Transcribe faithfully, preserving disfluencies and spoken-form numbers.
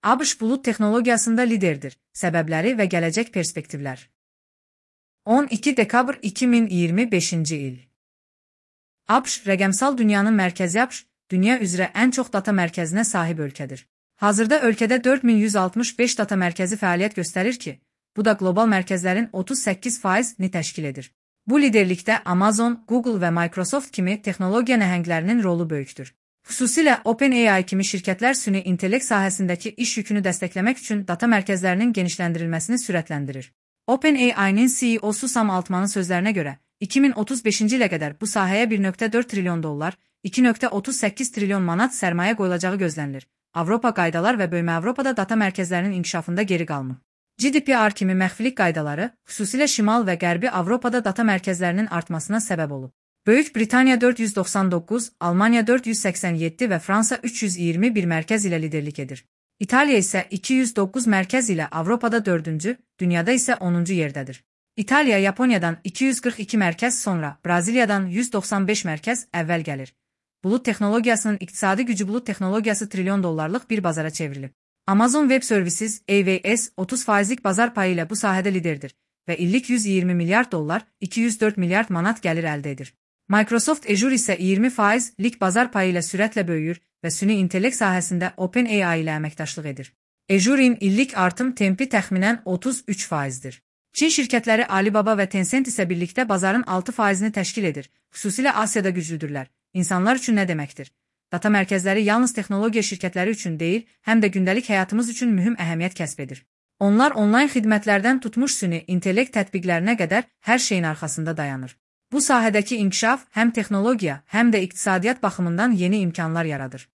ABŞ bulut texnologiyasında liderdir. Səbəbləri və gələcək perspektivlər. on iki dekabr iki min iyirmi beşinci il. ABŞ rəqəmsal dünyanın mərkəzi ABŞ, dünya üzrə ən çox data mərkəzinə sahib ölkədir. Hazırda ölkədə dörd min yüz altmış beş data mərkəzi fəaliyyət göstərir ki, bu da qlobal mərkəzlərin otuz səkkiz faizini təşkil edir. Bu liderlikdə Amazon, Google və Microsoft kimi texnologiya nəhənglərinin rolu böyükdür. Xüsusilə OpenAI kimi şirkətlər süni intellekt sahəsindəki iş yükünü dəstəkləmək üçün data mərkəzlərinin genişləndirilməsini sürətləndirir. OpenAI-nin C E O-su Sam Altmanın sözlərinə görə, iki min otuz beşinci ilə qədər bu sahəyə bir nöqtə dörd trilyon dollar, iki nöqtə otuz səkkiz trilyon manat sərmayə qoyulacağı gözlənilir. Avropa qaydalar və böyümə Avropada data mərkəzlərinin inkişafında geri qalmır. G D P R kimi məxfilik qaydaları, xüsusilə Şimal və Qərbi Avropada data mərkəzlərinin artmasına səbəb olub. Böyük Britaniya dörd yüz doxsan doqquz, Almaniya dörd yüz səksən yeddi və Fransa üç yüz iyirmi bir mərkəz ilə liderlik edir. İtaliya isə iki yüz doqquz mərkəz ilə Avropada dördüncü, dünyada isə onuncu yerdədir. İtaliya Yaponiyadan iki yüz qırx iki mərkəz sonra Braziliyadan yüz doxsan beş mərkəz əvvəl gəlir. Bulut texnologiyasının iqtisadi gücü bulut texnologiyası trilyon dollarlıq bir bazara çevrilib. Amazon Web Services A W S otuz faizlik bazar payı ilə bu sahədə liderdir və illik yüz iyirmi milyard dollar, iki yüz dörd milyard manat gəlir əldə edir. Microsoft Azure isə iyirmi faizlik bazar payı ilə sürətlə böyüyür və süni intellekt sahəsində OpenAI ilə əməkdaşlıq edir. Azure'in illik artım tempi təxminən otuz üç faizdir. Çin şirkətləri Alibaba və Tencent isə birlikdə bazarın altı faizini təşkil edir. Xüsusilə Asiyada güclüdürlər. İnsanlar üçün nə deməkdir? Data mərkəzləri yalnız texnologiya şirkətləri üçün deyil, həm də gündəlik həyatımız üçün mühüm əhəmiyyət kəsb edir. Onlar onlayn xidmətlərdən tutmuş süni intellekt tətbiqlərinə qədər hər şeyin arxasında dayanır. Bu sahədəki inkişaf həm texnologiya, həm də iqtisadiyyat baxımından yeni imkanlar yaradır.